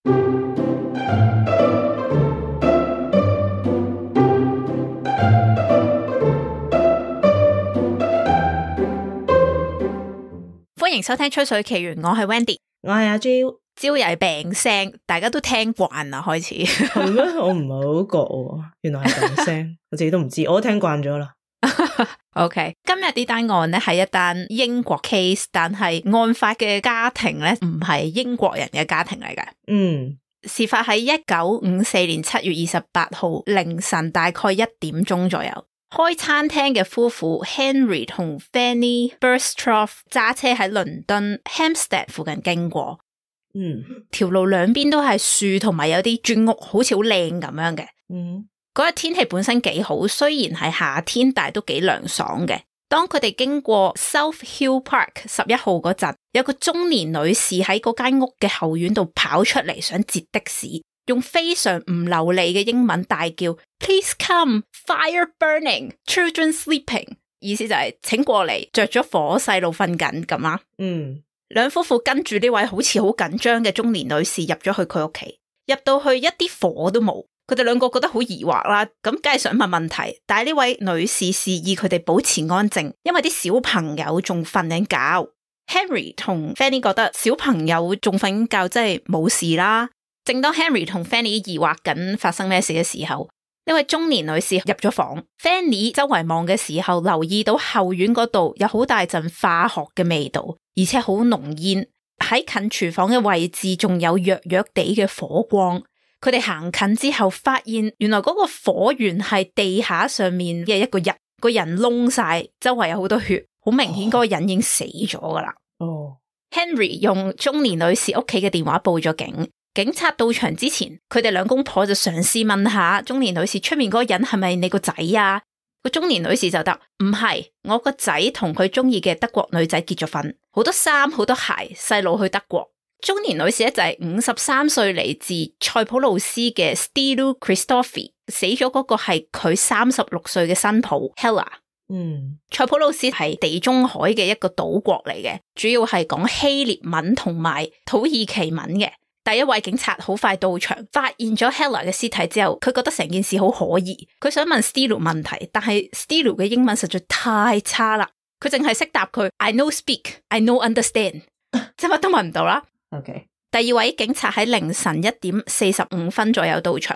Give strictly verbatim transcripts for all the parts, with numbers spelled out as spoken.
歡迎收聽吹水奇緣，我係 Wendy， 我係阿 Jo， 朝又係病聲，大家都聽慣啦，開始係咩？我唔係好覺喎，原來係病聲，我自己都唔知，我都聽慣咗啦。OK， 今日呢單案咧係一單英國 case， 但係案發嘅家庭咧唔係英國人嘅家庭嚟嘅。嗯，事發喺一九五四年七月二十八號凌晨大概一點鐘左右。開餐廳嘅夫婦 Henry 同 Fanny Burstroff 揸車喺倫敦 Hampstead 附近經過，嗯，條路兩邊都係樹同埋有啲磚屋，好似好靚咁樣嘅。嗯，嗰日天氣本身幾好，雖然係夏天，但係都幾涼爽嘅。當佢哋經過 South Hill Park 十一號嗰陣，有個中年女士喺嗰間屋嘅後院度跑出嚟，想截的士。用非常唔流利嘅英文大叫 Please come, fire burning, children sleeping， 意思就係請過嚟，着咗火，細路瞓緊咁啊。嗯，兩夫婦跟住呢位好似好緊張嘅中年女士入咗去佢屋企，入到去一啲火都冇，佢哋兩個覺得好疑惑啦，咁梗係想問問題，但係呢位女士示意佢哋保持安靜，因為啲小朋友仲瞓緊覺。Henry 同 Fanny 覺得小朋友仲瞓緊覺，真係冇事啦。正當 Henry 同 Fanny 疑惑緊發生咩事嘅時候，呢位中年女士入咗房。Fanny 周圍望嘅時候，留意到後院嗰度有好大陣化學嘅味道，而且好濃煙。喺近廚房嘅位置仲有弱弱地嘅火光。佢哋行近之後，發現原來嗰個火源係地下上面嘅一個人，個人燶晒，周圍有好多血，好明顯嗰個人已經死咗噶啦。哦 Henry 用中年女士屋企嘅電話報咗警。警察到場之前，佢哋兩公婆就嘗試問下中年女士，出面嗰個人係咪你個仔啊？個中年女士就答唔係，我個仔同佢中意嘅德國女仔結咗婚，好多衫好多鞋，細路去德國。中年女士咧就係五十三歲，嚟自塞浦路斯嘅 Stylu Christofi， 死咗嗰個係佢三十六歲嘅新抱 Hella。嗯，塞浦路斯係地中海嘅一個島國嚟嘅，主要係講希臘文同埋土耳其文嘅。第一位警察好快到場，發現咗 Hella 嘅屍體之後，佢覺得成件事好可疑，佢想問 Stylu 問題，但係 Stylu 嘅英文實在太差啦，佢淨係識答佢 I no speak, I no understand， 即係乜都問唔到啦。OK， 第二位警察喺凌晨一點四十五分左右到場，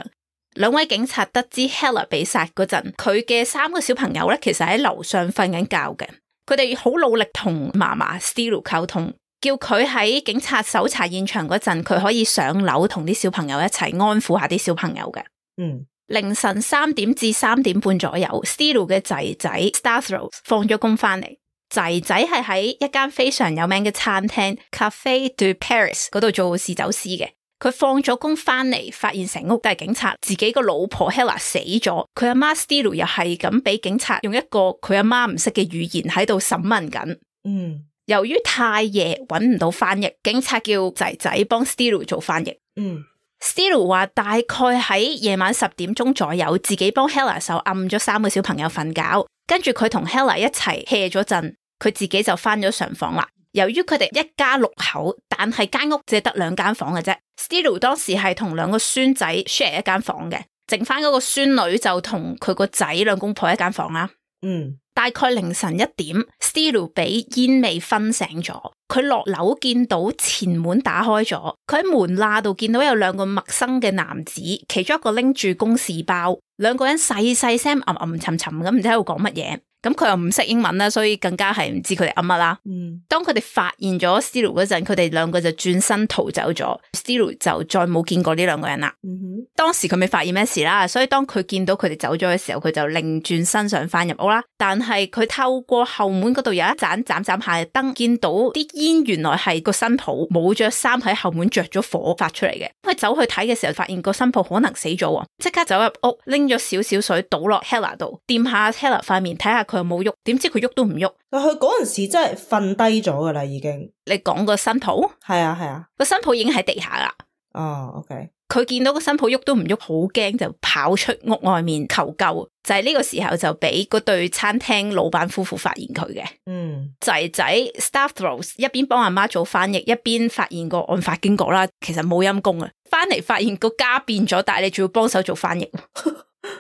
兩位警察得知 Hella 被殺嗰陣，佢嘅三個小朋友咧其實喺樓上瞓緊覺嘅，佢哋好努力同嫲嫲 Stylu 溝通。叫佢喺警察搜查現場嗰陣，佢可以上樓同啲小朋友一齊安撫下啲小朋友嘅。嗯，凌晨三點至三點半左右 Stylu 嘅仔仔 Stavros 放咗工翻嚟，仔仔係喺一間非常有名嘅餐廳 Café de Paris 嗰度做侍酒師嘅。佢放咗工翻嚟，發現成屋都係警察，自己個老婆 Hella 死咗，佢阿媽 Stylu 又係咁俾警察用一個佢阿媽唔識嘅語言喺度審問緊。嗯。由於太夜揾唔到翻譯，警察叫仔仔幫 Stylu 做翻譯。嗯 Stylu 話大概喺夜晚十點鐘左右，自己幫 Hella 手按咗三個小朋友瞓覺，跟住佢同 Hella 一齊 hea 咗陣，佢自己就翻咗上房啦。由於佢哋一家六口，但係間屋只係得兩間房嘅啫。Stylu 當時係同兩個孫仔 share 一間房嘅，剩翻嗰個孫女就同佢個仔兩公婆一間房啦。嗯。大概凌晨一點 Stylu 俾煙味熏醒咗，佢落樓見到前門打開咗，佢喺門罅度見到有兩個陌生嘅男子，其中一個拎住公事包，兩個人細細聲吟吟沉沉咁唔知喺度講乜嘢。咁佢又唔識英文啦，所以更加係唔知佢哋噏乜啦。嗯，當佢哋發現咗 Stylu 嗰陣，佢哋兩個就轉身逃走咗。Stylu 就再冇見過呢兩個人啦。嗯哼，當時佢未發現咩事啦，所以當佢見到佢哋走咗嘅時候，佢就擰轉身想翻入屋啦。但係佢透過後門嗰度有一盞盞盞下嘅燈，見到啲煙原來係個新抱冇着衫喺後門着咗火發出嚟嘅。佢走去睇嘅時候，發現個新抱可能死咗，即刻走入屋拎咗少少水倒落 Hella 度，掂下 Hella 塊面睇下佢有冇喐，點知佢喐都唔喐。但佢嗰陣時真係瞓低咗噶啦，已經。你講個新抱？係啊係啊，個新抱已經喺地下啦。哦 ，OK。佢見到個新抱喐都唔喐，好驚就跑出屋外面求救。就係呢個時候就俾嗰對餐廳老闆夫婦發現佢嘅。嗯，仔仔 Stavros 一邊幫阿媽做翻譯，一邊發現個案發經過啦。其實冇陰功啊，翻嚟發現個家變咗，但係你仲要幫手做翻譯。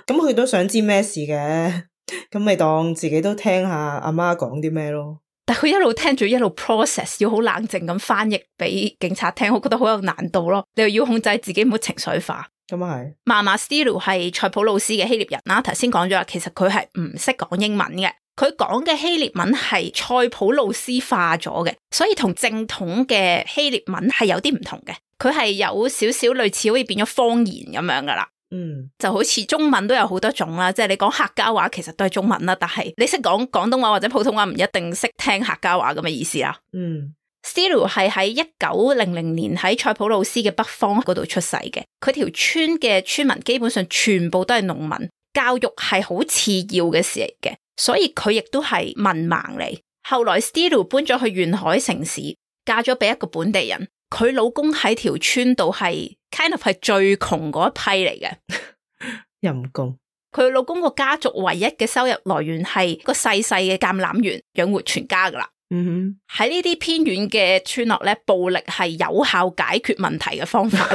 咁佢都想知咩事嘅，咁咪當自己都聽下阿媽講啲咩咯。但係佢一路聽住一路 process， 要好冷靜咁翻譯俾警察聽，我覺得好有難度咯。你又要控制自己唔好情緒化。咁啊係。嫲嫲 Stylu 係塞浦路斯嘅希臘人啦，頭先講咗啦，其實佢係唔識講英文嘅，佢講嘅希臘文係塞浦路斯化咗嘅，所以同正統嘅希臘文係有啲唔同嘅。佢係有少少類似好似變咗方言咁樣噶啦。嗯，就好似中文都有好多種啦，即係你講客家話其實都係中文啦，但係你識講廣東話或者普通話唔一定識聽客家話咁嘅意思啦。嗯 Stylu 係喺一九零零年喺塞浦路斯嘅北方嗰度出世嘅，佢條村嘅村民基本上全部都係農民，教育係好次要嘅事嚟嘅，所以佢亦都係文盲嚟。後來 Stylu 搬咗去沿海城市，嫁咗俾一個本地人，佢老公喺條村度係 kind of 係最窮嗰一批嚟嘅，陰公。佢老公個家族唯一嘅收入來源係個細細嘅橄欖園養活全家噶啦。嗯哼，喺呢啲偏遠嘅村落咧，暴力係有效解決問題嘅方法。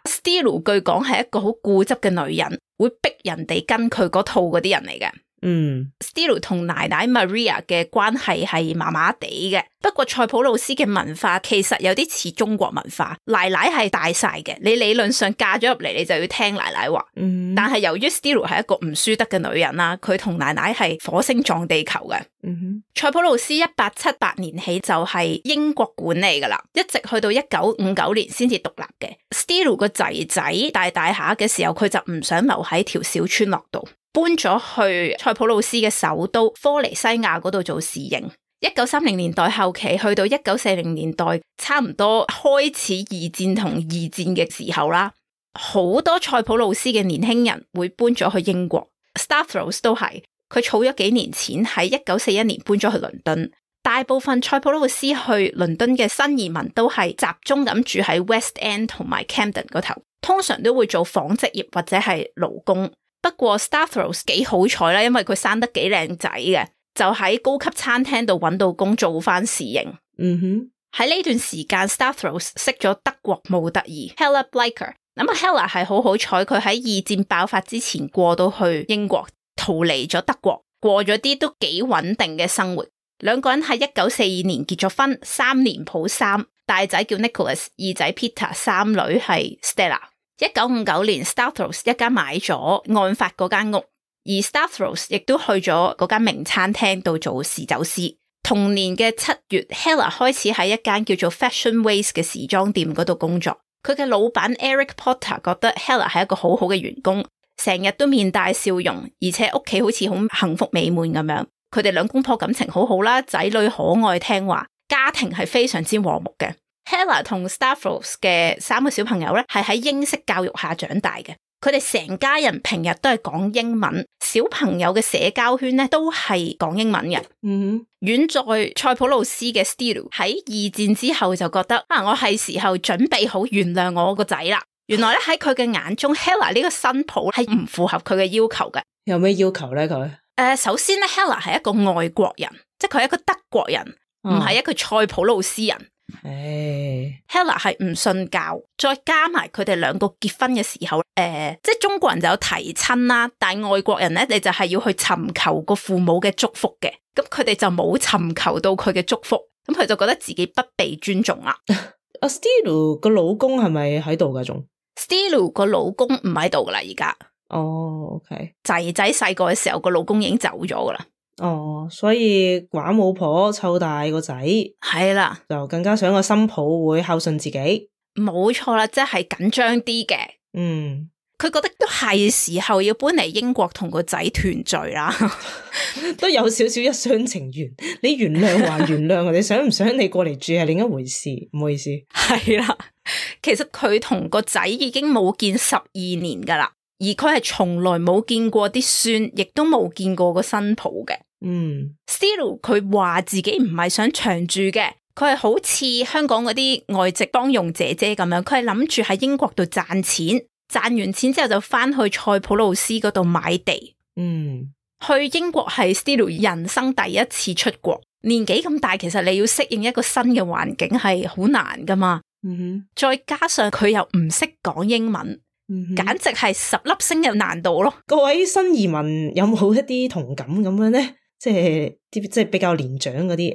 Stylu 據講係一個好固執嘅女人，會逼人哋跟佢嗰套嗰啲人嚟嘅。嗯 Stylu 同奶奶 Maria 嘅關係係麻麻地嘅，不過塞浦路斯嘅文化其實有啲似中國文化，奶奶係大晒嘅，你理論上嫁咗入嚟你就要聽奶奶話。嗯，但係由於 Stylu 係一個唔輸得嘅女人啦，佢同奶奶係火星撞地球嘅。嗯哼，塞浦路斯一八七八年起就係英國管理噶啦，一直去到一九五九年先至獨立嘅。Stylu 個仔仔大大下嘅時候，佢就唔想留喺條小村落度，搬咗去塞浦路斯嘅首都科尼西亞嗰度做侍營。一九三零年代後期去到一九四零年代，差唔多開始二戰同二戰嘅時候啦，好多塞浦路斯嘅年輕人會搬咗去英國。Stavros 都係，佢儲咗幾年錢喺一九四一年搬咗去倫敦。大部分塞浦路斯去倫敦嘅新移民都係集中咁住喺 West End 同埋 Camden 嗰頭，通常都會做紡織業或者係勞工。不過 Stavros 幾好彩啦，因為佢生得幾靚仔嘅，就喺高級餐廳度揾到工做翻侍應。嗯哼，喺呢段時間 Stavros 識咗德國模特兒 Hella Blecher。咁啊 Hella 係好好彩，佢喺二戰爆發之前過到去英國，逃離咗德國，過咗啲都幾穩定嘅生活。兩個人喺一九四二年結咗婚，三年抱三，大仔叫 Nicholas， 二仔 Peter， 三女係 Stella。一九五九年 Stavros 一家買咗案發嗰間屋，而 Stavros 亦都去咗嗰間名餐廳度做侍酒師。同年嘅七月 Hella 開始喺一間叫做 Fashion Ways 嘅時裝店嗰度工作。佢嘅老闆 Eric Potter 覺得 Hella 係一個好好嘅員工，成日都面帶笑容，而且屋企好似好幸福美滿咁樣。佢哋兩公婆感情好好啦，仔女可愛聽話，家庭係非常之和睦嘅。Hella 同 Stavros 嘅三個小朋友咧，係喺英式教育下長大嘅。佢哋成家人平日都係講英文，小朋友嘅社交圈咧都係講英文嘅。嗯，遠在塞浦路斯嘅 Stylu 喺二戰之後就覺得啊，我係時候準備好原諒我個仔啦。原來咧喺佢嘅眼中 Hella 呢個新抱係唔符合佢嘅要求嘅。有咩要求咧佢？誒、呃，首先咧 Hella 係一個外國人，即係佢係一個德國人，唔係、哦、一個塞浦路斯人。誒、哎、Hella 係唔信教，再加埋佢哋兩個結婚嘅時候，誒、呃，即係中國人就有提親啦，但係外國人咧，你就係要去尋求個父母嘅祝福嘅，咁佢哋就冇尋求到佢嘅祝福，咁佢就覺得自己不被尊重啦。阿 Stylu 個老公係咪喺度噶？仲 Stylu 個老公唔喺度噶啦，而家。哦 ，OK，仔仔細個嘅時候個老公已經走咗噶啦。哦，所以寡母婆湊大個仔，係啦，就更加想個新抱會孝順自己。冇錯啦，即係緊張啲嘅。嗯，佢覺得都係時候要搬嚟英國同個仔團聚啦，都有少少一廂情願。你原諒還原諒，你想唔想你過嚟住係另一回事，唔好意思。係啦，其實佢同個仔已經冇見十二年噶啦。而佢係從來冇見過啲孫，亦都冇見過個新抱嘅。嗯 Stylu 佢話自己唔係想長住嘅，佢係好似香港嗰啲外籍幫傭姐姐咁樣，佢係諗住喺英國度賺錢，賺完錢之後就翻去塞浦路斯嗰度買地。嗯，去英國係 Stylu 人生第一次出國，年紀咁大，其實你要適應一個新嘅環境係好難噶嘛。嗯哼，再加上佢又唔識講英文，嗯哼，簡直係十粒星嘅難度咯。各位新移民有冇一啲同感咁樣咧？即係啲即係比較年長嗰啲，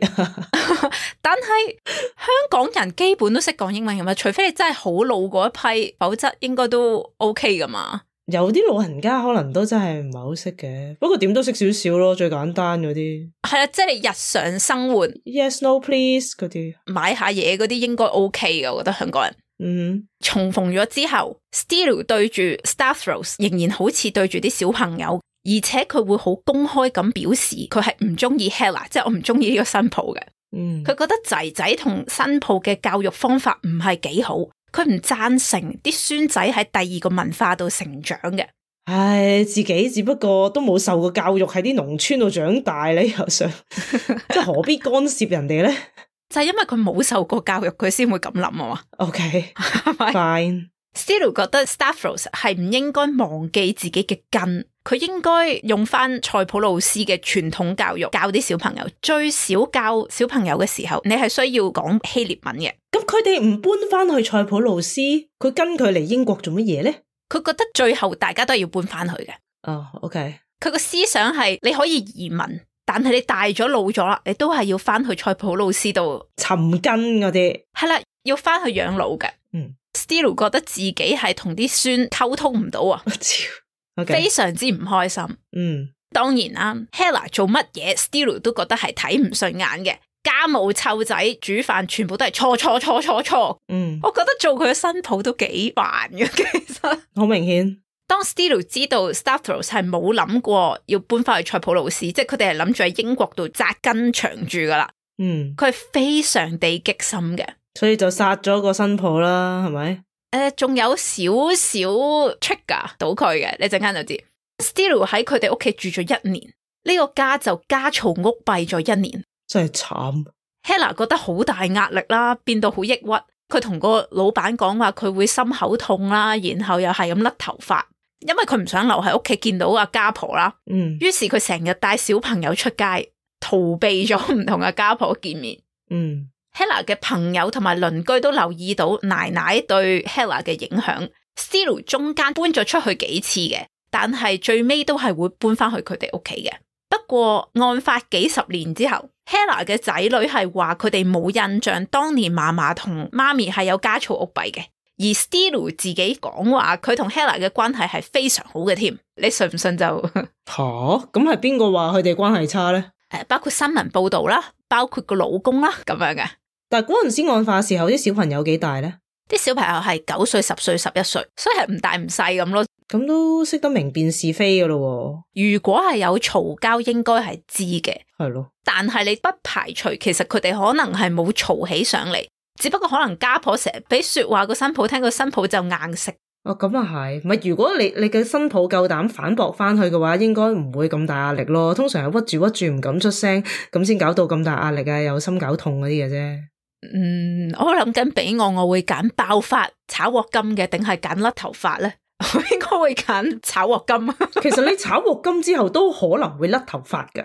但係香港人基本都識講英文㗎嘛，除非你真係好老嗰一批，否則應該都 OK 噶嘛。有啲老人家可能都真係唔係好識嘅，不過點都識少少咯，最簡單嗰啲。係啊，即係你日常生活 Yes, no, please 嗰啲，買下嘢嗰啲應該 OK 嘅，我覺得香港人。嗯，重逢咗之後 Steele 對住 Stavros 仍然好似對住啲小朋友，而且佢會好公開咁表示佢係唔中意 Hella， 即係我唔中意呢個新抱嘅。嗯，佢覺得仔仔同新抱嘅教育方法唔係幾好，佢唔贊成啲孫仔喺第二個文化度成長嘅。唉，自己只不過都冇受過教育，喺啲農村度長大咧，又想即係何必干涉人哋咧？就係因為佢冇受過教育，佢先會咁諗啊嘛。OK，係咪 fine。Steele 覺得 Stavros 係唔應該忘記自己嘅根，佢應該用翻塞浦路斯嘅傳統教育教啲小朋友。最少教小朋友嘅時候，你係需要講希臘文嘅。咁佢哋唔搬翻去塞浦路斯，佢跟佢嚟英國做乜嘢咧？佢覺得最後大家都係要搬翻去嘅。哦、oh, ，OK。佢個思想係你可以移民，但係你大咗老咗啦，你都係要翻去塞浦路斯度尋根嗰啲。係啦，要翻去養老嘅。嗯 Steele 覺得自己係同啲孫溝通唔到啊， okay. 非常之唔開心。嗯，當然啦 Hella 做乜嘢 Steele 都覺得係睇唔順眼嘅，家務湊仔煮飯全部都係錯錯錯錯錯。嗯，我覺得做佢嘅新抱都幾煩嘅，其實好明顯。當 Steele 知道 Stavros 係冇諗過要搬翻去塞浦路斯，即係佢哋係諗住喺英國度紮根長住噶啦。嗯，佢係非常地激心嘅，所以就殺咗個新抱啦，係咪？誒，仲有少少 trigger 到佢嘅，你陣間就知。Steele 喺佢哋屋企住咗一年，呢、這個家就家嘈屋閉咗一年，真係慘。Hella 覺得好大壓力啦，變到好抑鬱。佢同個老闆講話佢會心口痛啦，然後又係咁甩頭髮，因為佢唔想留喺屋企見到阿家婆啦。嗯，於是佢成日帶小朋友出街，逃避咗唔同嘅家婆見面。嗯。Hella 嘅朋友同埋鄰居都留意到奶奶對 Hella 嘅影響。Steele 中間搬咗出去幾次嘅，但係最尾都係會搬翻去佢哋屋企嘅。不過案發幾十年之後 Hella 嘅仔女係話佢哋冇印象當年嫲嫲同媽咪係有家嘈屋閉嘅，而 Steele 自己講話佢同 Hella 嘅關係係非常好嘅添。你信唔信就吓？咁係邊個話佢哋關係差咧？誒，包括新聞報道啦，包括個老公啦，咁樣嘅。但係嗰陣時案發時候，啲小朋友幾大咧？啲小朋友係九歲、十歲、十一歲，所以係唔大唔細咁咯。咁都識得明辨是非噶咯。如果係有嘈交，應該係知嘅。係咯。但係你不排除，其實佢哋可能係冇嘈起上嚟，只不過可能家婆成日俾說話個新抱聽，個新抱就硬食。哦，咁啊係，唔係如果你你嘅新抱夠膽反駁翻去嘅話，應該唔會咁大壓力咯。通常係屈住屈住唔敢出聲，咁先搞到咁大壓力啊，有心搞痛嗰啲嘅啫。嗯，我諗緊俾我，我會揀爆發炒鑊金嘅，定係揀甩頭髮咧？我應該會揀炒鑊金。其實你炒鑊金之後都可能會甩頭髮㗎。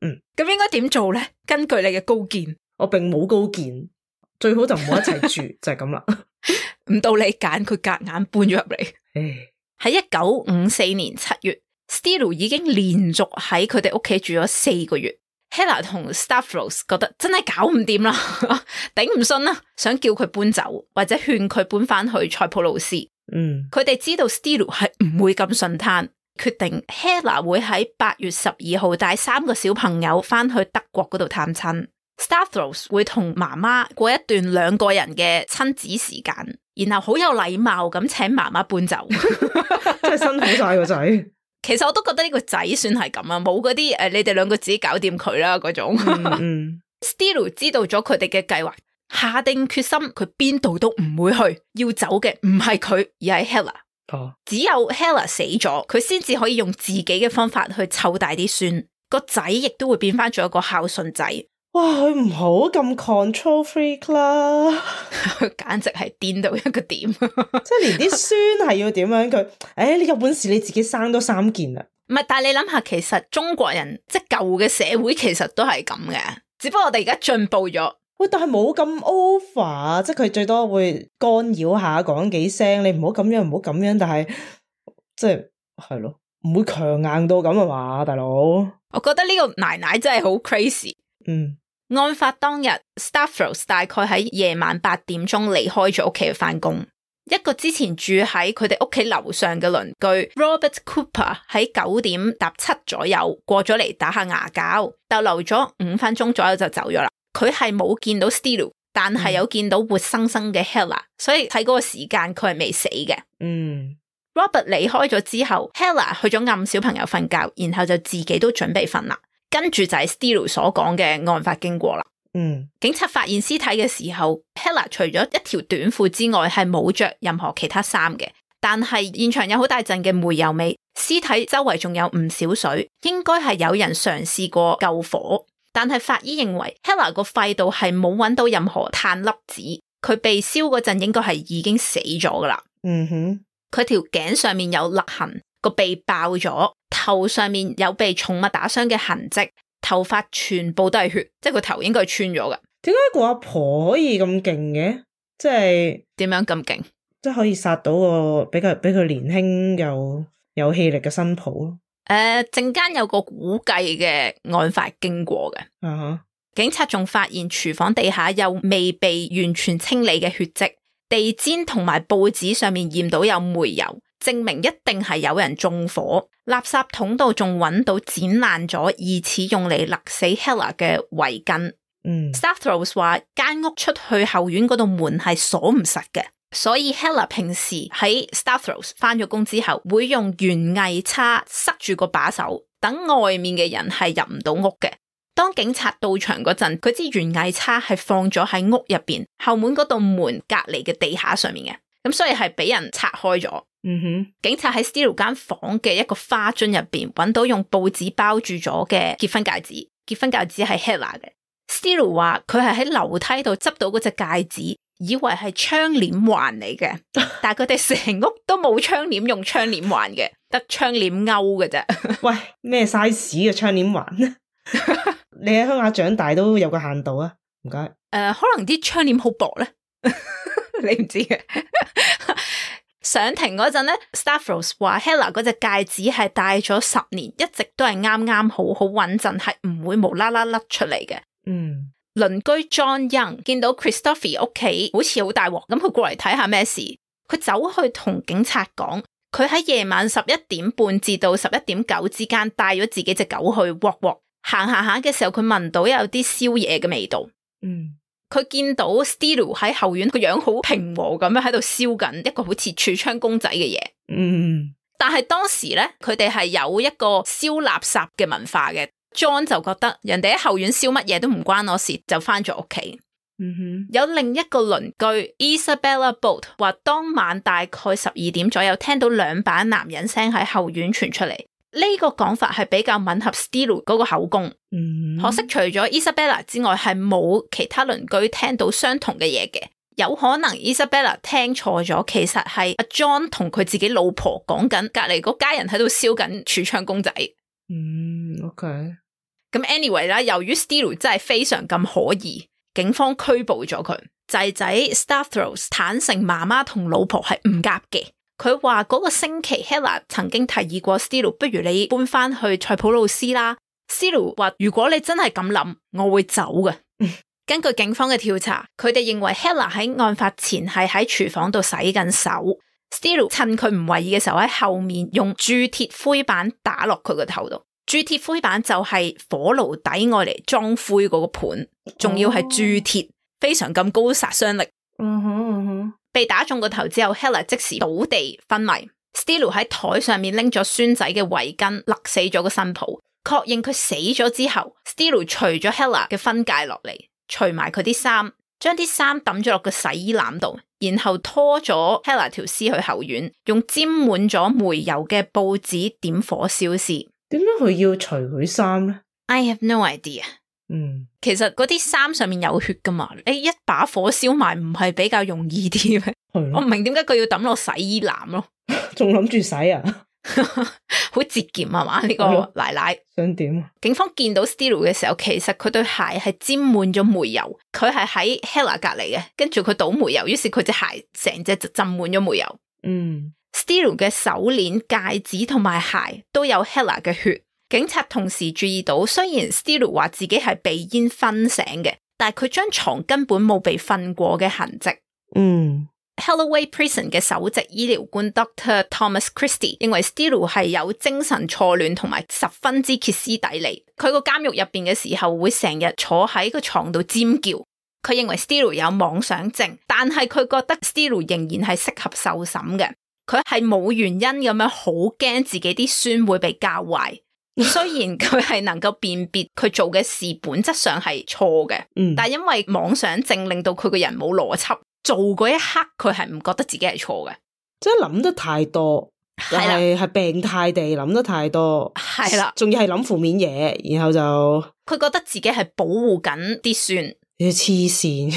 嗯，咁應該點做咧？根據你嘅高見，我並冇高見，最好就唔好一齊住，就係咁啦。唔到你揀，佢夾硬搬咗入嚟。唉，喺一九五四年七月 Steele 已經連續喺佢哋屋企住咗四個月。Hella 同 Stavros 覺得真係搞唔掂啦，頂唔順啦，想叫佢搬走或者勸佢搬翻去塞浦路斯。嗯，佢哋知道 Steele 係唔會咁順攤，決定 Hella 會喺八月十二號帶三個小朋友翻去德國嗰度探親。Stavros 會同媽媽過一段兩個人嘅親子時間，然後好有禮貌咁請媽媽搬走。真係辛苦晒個仔。其實我都覺得呢個仔算係咁啊，冇嗰啲誒，你哋兩個自己搞掂佢啦嗰種。嗯嗯、Steele 知道咗佢哋嘅計劃，下定決心，佢邊度都唔會去，要走嘅唔係佢，而係 Hella。哦，只有 Hella 死咗，佢先至可以用自己嘅方法去湊大啲孫，個仔亦都會變翻做一個孝順仔。哇，佢唔好咁 control freak 啦，簡直係癲到一個點，即係連啲孫係要點樣佢？誒、哎，你有本事你自己生多三件啊！唔係，但係你諗下，其實中國人即係舊嘅社會其實都係咁嘅，只不過我哋而家進步咗，喂，但係冇咁 over，即係佢最多會干擾下講幾聲，你唔好咁樣，唔好咁樣，但係即係係咯，唔會強硬到咁啊嘛，大佬。我覺得呢個奶奶真係好 crazy。嗯，案發當日 Stavros 大概喺夜晚八點鐘離開咗屋企去翻工。一個之前住喺佢哋屋企樓上嘅鄰居 Robert Cooper 喺九點搭七左右過咗嚟打下牙膠，逗留咗五分鐘左右就走咗啦。佢係冇見到 Stello， 但係有見到活生生嘅 Hella， 所以喺嗰個時間佢係未死嘅。嗯 Robert 離開咗之後 Hella 去咗暗小朋友瞓覺，然後就自己都準備瞓啦。跟住就係 Stello 所講嘅案發經過啦。嗯，警察發現屍體嘅時候 Hella 除咗一條短褲之外係冇着任何其他衫嘅，但係現場有好大陣嘅煤油味，屍體周圍仲有唔少水，應該係有人嘗試過救火，但係法醫認為 Hella 個肺度係冇揾到任何碳粒子，佢被燒嗰陣應該係已經死咗噶啦。嗯哼，佢條頸上面有勒痕，個鼻爆咗，頭上面有被重物打傷嘅痕跡，頭髮全部都係血，即係個頭應該係穿咗噶。點解個阿婆可以咁勁嘅？即係點樣咁勁？即係可以殺到個比較比佢年輕又有氣力嘅新抱咯。誒，陣間有個估計嘅案發經過嘅。啊哈！警察仲發現廚房地下有未被完全清理嘅血跡，地氈同埋報紙上面驗到有煤油，證明一定係有人縱火。垃圾桶度仲揾到剪爛咗疑似用嚟勒死 Hella 嘅圍巾。嗯 Stavros 話間屋出去後院嗰度門係鎖唔實嘅，所以 Hella 平時喺 Stavros 翻咗工之後會用園藝叉塞住個把手，等外面嘅人係入唔到屋嘅。當警察到場嗰陣，佢支園藝叉係放咗喺屋入邊後門嗰道門隔籬嘅地下上面嘅，咁所以係俾人拆開咗。嗯哼，警察喺 Stello 間房嘅一個花樽入邊揾到用報紙包住咗嘅結婚戒指，結婚戒指係 Hella 嘅。Stello 話佢係喺樓梯度執到嗰隻戒指，以為係窗簾環嚟嘅，但係佢哋成屋都冇窗簾用窗簾環嘅，得窗簾勾嘅啫。喂，咩 size 嘅窗簾環？你喺鄉下長大都有個限度啊，唔該。誒、呃，可能啲窗簾好薄咧，你唔知嘅。上庭嗰陣咧 Stavros 話 Hella 嗰隻戒指係戴咗十年，一直都係啱啱好好穩陣，係唔會無啦啦甩出嚟嘅。嗯，鄰居 John Young 見到 Christopher 屋企好似好大鑊，咁佢過嚟睇下咩事，佢走去同警察講，佢喺夜晚十一點半至到十一點九之間帶咗自己隻狗去 walk walk， 行行下嘅時候佢聞到有啲宵夜嘅味道。嗯。佢見到 Stello 喺後院個樣好平和咁樣喺度燒緊一個好似櫥窗公仔嘅嘢。嗯，但係當時咧，佢哋係有一個燒垃圾嘅文化嘅。John 就覺得人哋喺後院燒乜嘢都唔關我事，就翻咗屋企。嗯哼，有另一個鄰居 Isabella Bolt 話，當晚大概十二點左右聽到兩把男人聲喺後院傳出嚟。呢、這個講法係比較吻合 Stello 嗰個口供。嗯，可惜除咗 Isabella 之外，係冇其他鄰居聽到相同嘅嘢嘅。有可能 Isabella 聽錯咗，其實係阿 John 同佢自己老婆講緊，隔籬嗰家人喺度燒緊櫥窗公仔。嗯 ，OK。咁 anyway 啦，由於 Stello 真係非常咁可疑，警方拘捕咗佢。仔仔 Stavros 坦承媽媽同老婆係唔夾嘅。佢話嗰個星期 Hella 曾經提議過 Stello， 不如你搬翻去塞浦路斯啦。Stello 話如果你真係咁諗，我會走嘅。根據警方嘅調查，佢哋認為 Hella 喺案發前係喺廚房度洗緊手。Stello 趁佢唔為意嘅時候喺後面用鑄鐵灰板打落佢個頭度。鑄鐵灰板就係火爐底愛嚟裝灰嗰個盤，仲要係鑄鐵，非常咁高殺傷力。嗯哼嗯哼。被打中個頭之後 Hella 即時倒地昏迷。Stello 喺台上面拎咗孫仔嘅圍巾勒死咗個新抱，確認佢死咗之後 Stello 除咗 Hella 嘅婚戒落嚟，除埋佢啲衫，將啲衫抌咗落個洗衣籃度，然後拖咗 Hella 條屍去後院，用沾滿咗煤油嘅報紙點火燒屍。點解佢要除佢衫咧？ I have no idea。嗯，其實嗰啲衫上面有血噶嘛，你一把火燒埋唔係比較容易啲咩？我唔明點解佢要抌落洗衣籃咯，仲諗住洗啊？好節儉係嘛？呢、這個奶奶想點啊？警方見到 Steele 嘅時候，其實佢對鞋係沾滿咗煤油，佢係喺 Hella 隔籬嘅，跟住佢倒煤油，於是佢隻鞋成隻就浸滿咗煤油。嗯 Steele 嘅手鏈、戒指同埋鞋都有 Hella 嘅血。警察同時注意到，雖然 Steele 話自己係被煙熏醒嘅，但係佢張床根本冇被瞓過嘅痕跡。嗯 Holloway Prison 嘅首席醫療官 Doctor Thomas Christie 認為 Steele 係有精神錯亂同埋十分之歇斯底里。佢個監獄入邊嘅時候會成日坐喺個床度尖叫。佢認為 Steele 有妄想症，但係佢覺得 Steele 仍然係適合受審嘅。佢係冇原因咁樣好驚自己啲孫會被教壞。雖然佢係能夠辨別佢做嘅事本質上係錯嘅，嗯，但係因為妄想症令到佢個人冇邏輯。做嗰一刻佢係唔覺得自己係錯嘅，即係諗得太多，係係病態地諗得太多，係啦，仲要係諗負面嘢，然後就佢覺得自己係保護緊啲孫，你黐線。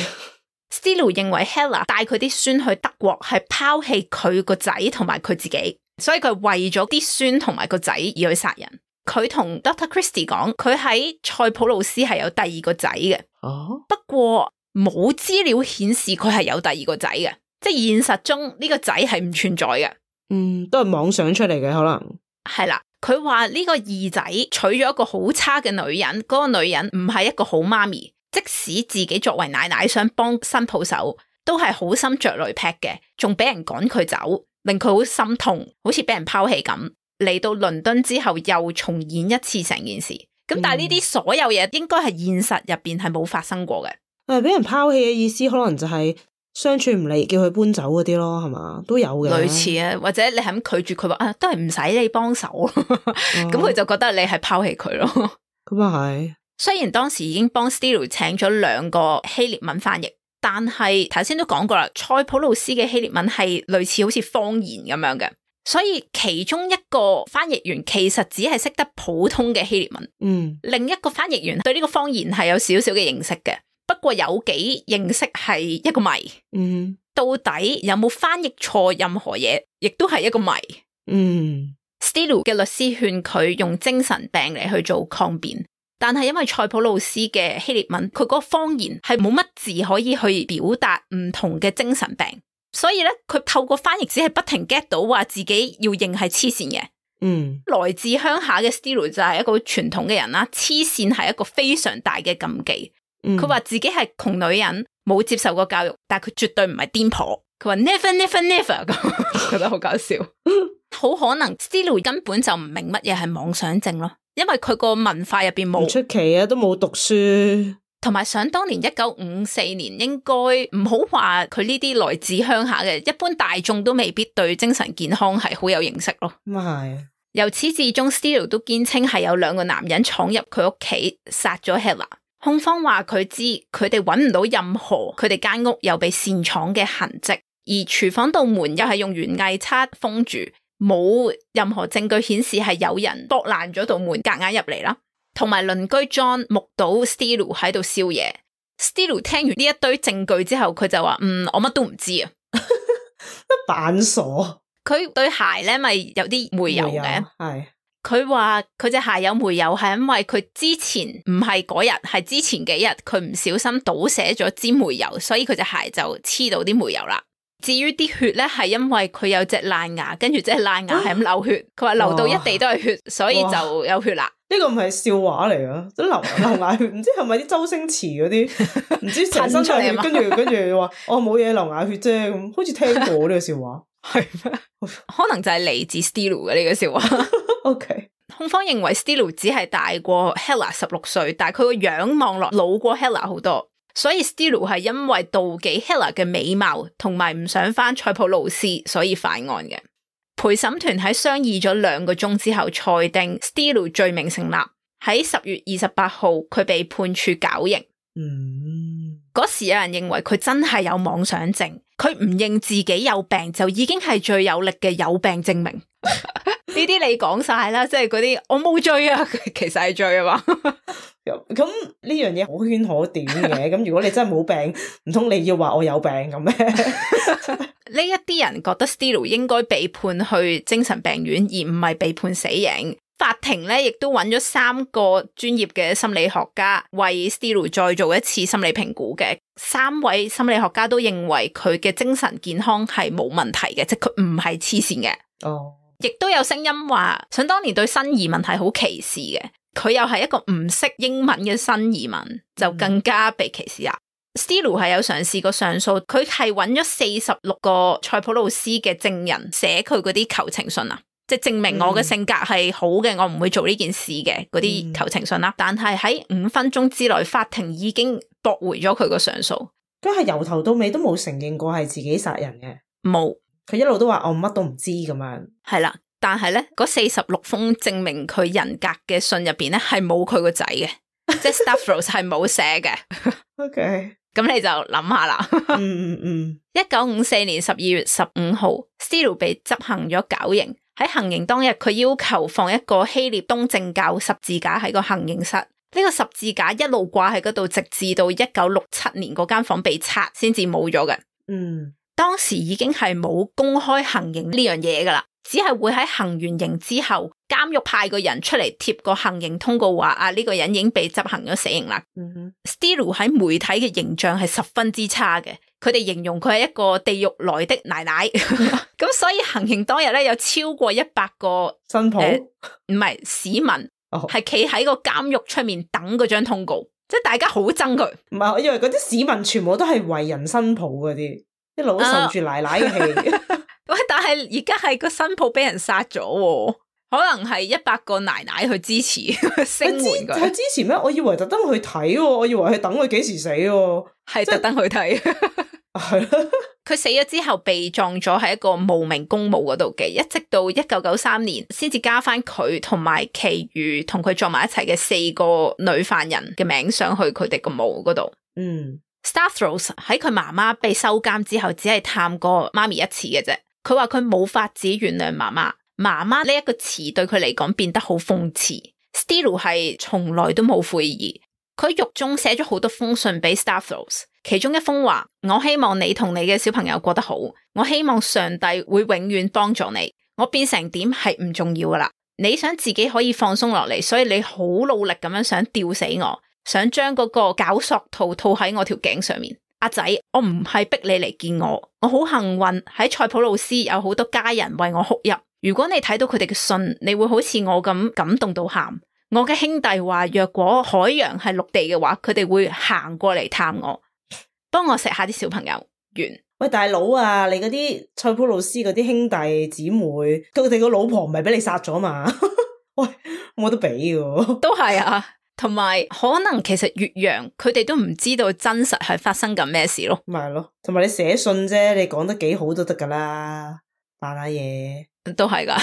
Steele 認為 Hella 帶佢啲孫去德國係拋棄佢個仔同埋佢自己，所以佢為咗啲孫同埋個仔而去殺人。佢同 Doctor Christie 講，佢喺塞浦路斯係有第二個仔嘅，哦，不過冇資料顯示佢係有第二個仔嘅，即係現實中呢個仔係唔存在嘅。嗯，都係妄想出嚟嘅可能。係啦，佢話呢個二仔娶咗一個好差嘅女人，嗰、那個女人唔係一個好媽咪，即使自己作為奶奶想幫新抱手，都係好心着雷劈嘅，仲俾人趕佢走，令佢好心痛，好似俾人拋棄咁。嚟到倫敦之後又重演一次成件事，咁但係呢啲所有嘢應該係現實入邊係冇發生過嘅。誒，俾人拋棄嘅意思可能就係相處唔嚟，叫佢搬走嗰啲咯，係嘛？都有嘅。類似啊，或者你係咁拒絕佢話啊，都係唔使你幫手，咁佢、哦、就覺得你係拋棄佢咯。咁啊係。雖然當時已經幫 Steele 請咗兩個希臘文翻譯，但係頭先都講過啦，塞浦路斯嘅希臘文係類似好似方言咁樣嘅，所以其中一個翻譯員其實只係識得普通嘅希臘文，嗯，另一個翻譯員對呢個方言係有少少嘅認識嘅。不過有幾認識係一個謎，嗯，到底有冇翻譯錯任何嘢，亦都係一個謎。嗯 Steele 嘅律師勸佢用精神病嚟去做抗辯，但係因為塞浦路斯嘅希臘文，佢嗰個方言係冇乜字可以去表達唔同嘅精神病，所以咧佢透過翻譯只係不停 get 到話自己要認係黐線嘅。嗯，來自鄉下嘅 Steele 就係一個傳統嘅人啦，黐線係一個非常大嘅禁忌。佢話、嗯、自己係窮女人，冇接受過教育，但係佢絕對唔係癲婆。佢話 never never never 咁，覺得好搞笑。好可能 Steele 根本就唔明乜嘢係妄想症咯，因為佢個文化入邊冇。唔出奇啊，都冇讀書。同埋想當年一九五四年，應該唔好話佢呢啲來自鄉下嘅，一般大眾都未必對精神健康係好有認識咯。咁係。由始至終 Steele 都堅稱係有兩個男人闖入佢屋企殺咗 Hella。控方話佢知佢哋揾唔到任何佢哋間屋有被擅闖嘅痕跡，而廚房道門又係用園藝叉封住，冇任何證據顯示係有人剝爛咗道門夾硬入嚟啦。同埋鄰居 John 目睹 Steele 喺度燒嘢。Steele 聽完呢一堆證據之後，佢就話：嗯，我乜都唔知啊，扮傻。佢對鞋咧咪有啲煤油嘅，係。佢話佢隻鞋有煤油係因為佢之前唔係嗰日，係之前幾日佢唔小心倒瀉咗支煤油，所以佢隻鞋就黐到啲煤油啦。至於啲血咧，係因為佢有隻爛牙，跟住隻爛牙係咁流血，佢話流到一地都係血，所以就有血啦。呢個唔係笑話嚟噶，即流流牙血，唔知係咪啲周星馳嗰啲，唔知成身出血，跟住跟住話哦冇嘢流牙血啫，咁好似聽過呢個笑話，係咩？可能就係嚟自 Steele 嘅呢個笑話。OK， 控方認為 Steele 只係大過 Hella 十六歲，但係佢個樣望落老過 Hella 好多，所以 Steele 係因為妒忌 Hella 嘅美貌，同埋唔想返塞浦路斯，所以犯案嘅。陪審團喺商議咗兩個鐘之後，裁定 Steele 罪名成立。喺十月二十八號，佢被判處絞刑。嗯，嗰時有人認為佢真係有妄想症，佢唔認自己有病就已經係最有力嘅有病證明。啲你講晒啦，即係嗰啲我冇罪啊，其實係罪啊嘛。咁呢樣嘢可圈可點嘅，咁如果你真係冇病，唔通你要話我有病咁咩？呢一啲人覺得 Stilo 應該被判去精神病院，而唔係被判死刑。法庭咧亦都揾咗三個專業嘅心理學家為 Stilo 再做一次心理評估嘅，三位心理學家都認為佢嘅精神健康係冇問題嘅，即係佢唔係黐線嘅。哦，亦都有聲音話，想當年對新移民係好歧視嘅，佢又係一個唔識英文嘅新移民，就更加被歧視啦。嗯、Stilo 係有嘗試過上訴，佢係揾咗四十六個塞浦路斯嘅證人寫佢嗰啲求情信啊。即係證明我嘅性格係好嘅，嗯、我唔會做呢件事嘅嗰啲求情信啦。嗯、但係喺五分鐘之內，法庭已經駁回咗佢個上訴。佢係由頭到尾都冇承認過係自己殺人嘅，冇。佢一路都話我乜都唔知咁樣。係啦，但係咧嗰四十六封證明佢人格嘅信入邊咧係冇佢個仔嘅，即係 Stavros 係冇寫嘅。OK，咁你就諗下啦。嗯嗯嗯。一九五四年十二月十五號 Stilo 被執行咗絞刑。喺行刑當日，佢要求放一個希臘東正教十字架喺個行刑室。呢、這個十字架一路掛喺嗰度，直至到一九六七年嗰間房被拆，先至冇咗嘅。嗯，當時已經係冇公開行刑呢樣嘢噶啦，只係會喺行完刑之後，監獄派個人出嚟貼個行刑通告，話啊呢、這個人已經被執行咗死刑啦。嗯哼 Stilo 喺媒體嘅形象係十分之差嘅。佢哋形容佢係一個地獄來的奶奶，咁所以行刑當日咧有超過一百個新抱，唔係、呃、市民，係企喺個監獄出面等嗰張通告，即係大家好憎佢。唔係，我以為嗰啲市民全部都係為人新抱嗰啲，一路受住奶奶嘅氣。喂，但係而家係個新抱俾人殺咗，可能係一百個奶奶去支持聲援佢。係支持咩？我以為特登去睇，我以為係等佢幾時死，係特登去睇。係啦，佢死咗之後被葬咗喺一個無名公墓嗰度嘅，一直到一九九三年先至加翻佢同埋其餘同佢葬埋一齊嘅四個女犯人嘅名上去佢哋個墓嗰度。嗯 Stavros 喺佢媽媽被收監之後，只係探過媽咪一次嘅啫。佢話佢冇法子原諒媽媽，媽媽呢一個詞對佢嚟講變得好諷刺。Stilo 係從來都冇悔意，佢獄中寫咗好多封信俾 Stavros。其中一封話，我希望你同你嘅小朋友過得好，我希望上帝會永遠幫助你，我變成點係唔重要噶啦，你想自己可以放鬆落嚟，所以你好努力咁樣想吊死我，想將嗰個絞索套套喺我條頸上面。阿仔，我唔係逼你嚟見我，我好幸運喺塞浦路斯有好多家人為我哭泣。如果你睇到佢哋嘅信，你會好似我咁感動到喊。我嘅兄弟話，若果海洋係陸地嘅話，佢哋會行過嚟探我。幫我錫下啲小朋友，完。喂，大佬啊，你嗰啲塞浦路斯嗰啲兄弟姊妹，佢哋個老婆唔係俾你殺咗嘛？喂，冇得比嘅。都係啊，同埋可能其實越洋佢哋都唔知道真實係發生緊咩事咯。咪係咯，同埋你寫信啫，你講得幾好都得噶啦，扮下嘢都係噶。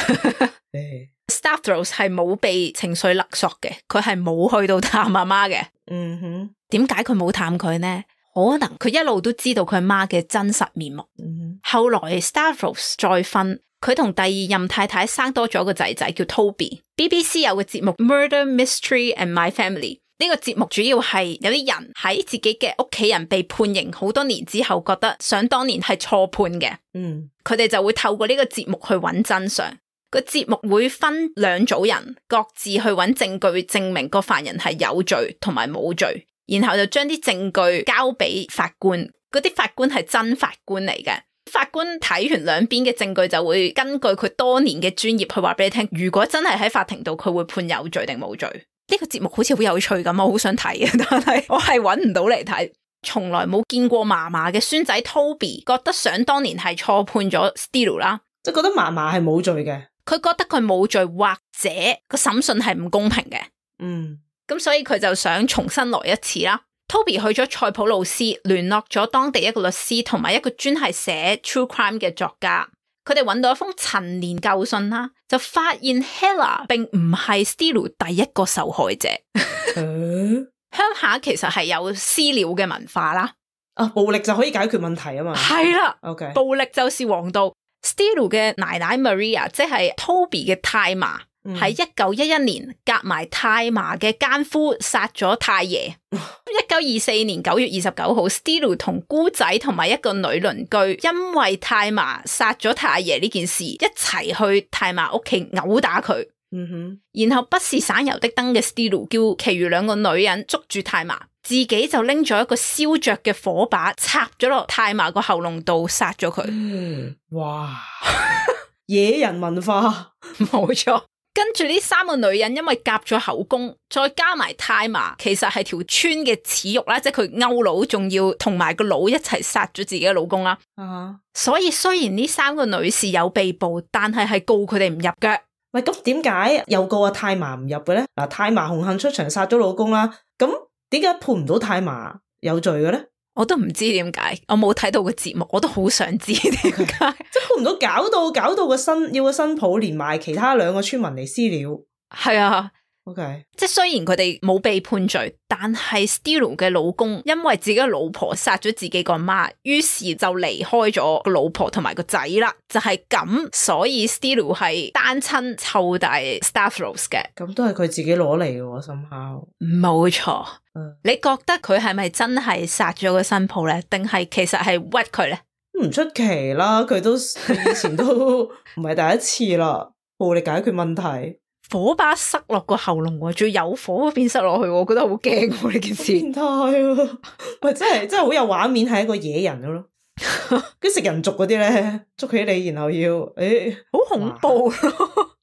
Stavros 係冇被情緒勒索嘅，佢係冇去到探阿媽嘅。嗯哼，點解佢冇探佢呢？可能佢一路都知道佢媽嘅真實面目。嗯、後來 Stavros 再婚，佢同第二任太太生多咗個仔仔叫 Toby。B B C 有個節目 Murder Mystery and My Family， 呢個節目主要係有啲人喺自己嘅屋企人被判刑好多年之後，覺得想當年係錯判嘅。嗯，佢哋就會透過呢個節目去揾真相。個節目會分兩組人，各自去揾證據證明個犯人係有罪同埋冇罪。然後就將啲證據交俾法官，嗰啲法官係真法官嚟嘅。法官睇完兩邊嘅證據，就會根據佢多年嘅專業去話俾你聽，如果真係喺法庭度，佢會判有罪定冇罪。呢個節目好似好有趣咁，我好想睇嘅，但係我係揾唔到嚟睇。從來冇見過嫲嫲嘅孫仔 Toby 覺得想當年係錯判咗 Stilo 啦，即係覺得嫲嫲係冇罪嘅，佢覺得佢冇罪，或者個審訊係唔公平嘅。嗯。咁所以佢就想重新來一次啦。Toby 去咗塞浦路斯，聯絡咗當地一個律師同埋一個專係寫 true crime 嘅作家。佢哋揾到一封陳年舊信啦，就發現 Hella 並唔係 Stilo 第一個受害者。嗯、鄉下其實係有私了嘅文化啦。啊，暴力就可以解決問題啊嘛。係啦，OK，暴力就是王道。Steele 嘅奶奶 Maria 即係 Toby 嘅太嫲，喺一九一一年夾埋太嫲嘅奸夫殺咗太爺。一九二四年九月二十九號 Steele 同姑仔同埋一個女鄰居因為太嫲殺咗太爺呢件事一齊去太嫲屋企毆打佢。嗯哼，然後不是省油的燈嘅 Steele 叫其餘兩個女人捉住太嫲，自己就拎咗一個燒着嘅火把插咗落太嫲個喉嚨度殺咗佢。嗯，哇，野人文化，冇錯。跟住呢三個女人因為夾咗口供，再加埋太嫲其實係條村嘅恥辱啦，即係佢勾佬，仲要同埋個佬一齊殺咗自己嘅老公啦。啊，所以雖然呢三個女士有被捕，但係係告佢哋唔入嘅。喂，咁點解又告阿太嫲唔入嘅咧？嗱，太嫲紅杏出牆殺咗老公啦，咁點解判唔到太嫲有罪嘅咧？我都唔知點解，我冇睇到個節目，我都好想知點解。即係判唔到，搞到搞到個新要個新抱連埋其他兩個村民嚟私了。係啊。OK， 即係雖然佢哋冇被判罪，但係 Steele 嘅老公因為自己嘅老婆殺咗自己個媽，於是就離開咗個老婆同埋個仔啦。就係、是、咁，所以 Steele 係單親湊大 Stavros 嘅。咁都係佢自己攞嚟嘅，深烤。冇錯。嗯，你覺得佢係咪真係殺咗個新抱咧？定係其實係屈佢咧？唔出奇啦，佢都以前都唔係第一次啦，暴力解決問題。火把塞落個喉嚨，仲要有火變塞落去，我覺得好驚喎呢件事。變態啊！喂，真係真係好有畫面，係一個野人咯。跟食人族嗰啲咧，捉起你然後要誒，好、欸、恐怖咯。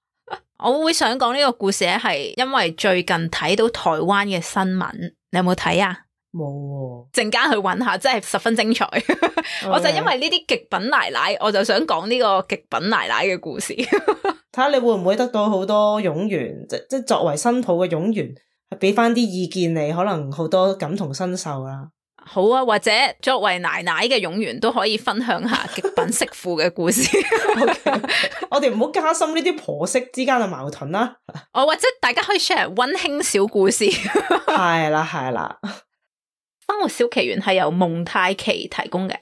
我會想講呢個故事咧，係因為最近睇到台灣嘅新聞，你有冇睇啊？冇、哦，陣間去揾下，真係十分精彩。Okay. 我就因為呢啲極品奶奶，我就想講呢個極品奶奶嘅故事。睇下你會唔會得到好多冗員，即即作為新抱嘅冗員，係俾翻啲意見你，可能好多感同身受啦。好啊，或者作為奶奶嘅冗員都可以分享下極品媳婦嘅故事。Okay. 我哋唔好加深呢啲婆媳之間嘅矛盾啦。哦，或者大家可以 share 溫馨小故事。係啦，係啦。生活小奇緣係由蒙太奇提供嘅。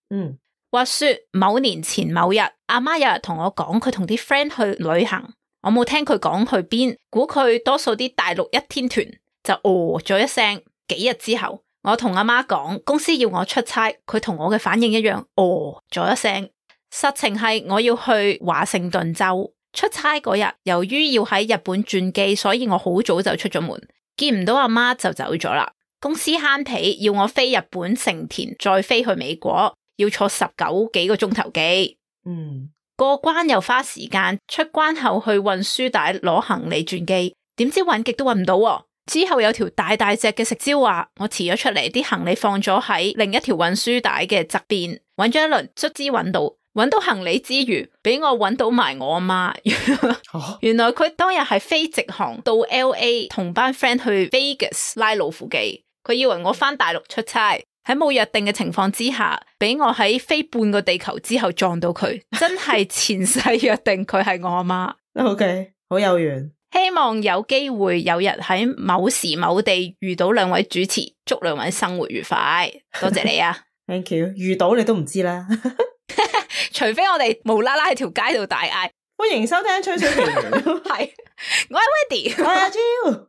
嗯，話說某年前某日，阿媽有日同我講佢同啲 friend 去旅行，我冇聽佢講去邊，估佢多數啲大陸一天團，就哦咗一聲。幾日之後，我同阿媽講公司要我出差，佢同我嘅反應一樣，哦咗一聲。實情係我要去華盛頓州出差嗰日，由於要喺日本轉機，所以我好早就出咗門，見唔到阿媽就走咗啦。公司慳皮，要我飛日本成田，再飛去美國，要坐十九幾個鐘頭機。嗯，過關又花時間，出關後去運輸帶攞行李轉機，點知搵極都搵唔到喎。之後有條大大隻嘅食蕉話，我遲咗出嚟，啲行李放咗喺另一條運輸帶嘅側邊，搵咗一輪，卒之搵到。搵到行李之餘，俾我搵到埋我阿媽。原來佢當日係飛直航到 L A 同班 friend 去 Vegas 拉老虎機。佢以為我返大陸出差，喺冇約定嘅情況之下，俾我喺飛半個地球之後撞到佢，真係前世約定佢係我阿媽。OK， 好有緣。希望有機會有日喺某時某地遇到兩位主持，祝兩位生活愉快。多謝你啊！Thank you。遇到你都唔知啦，除非我哋無啦啦喺條街度大嗌，歡迎收聽吹水奇緣。係，我係 Wendy， 我係阿 Jo。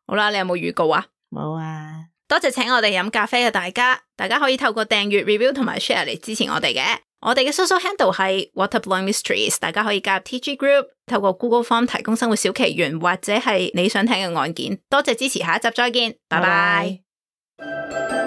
好啦，你有冇預告啊？冇啊。多謝請我哋飲咖啡嘅大家，大家可以透過訂閱、review 同埋 share 嚟支持我哋嘅。我哋嘅 social handle 係 Water Blowing Mysteries， 大家可以加入 T G Group， 透過 Google Form 提供生活小奇緣或者係你想聽嘅案件。多謝支持，下一集再見，拜拜。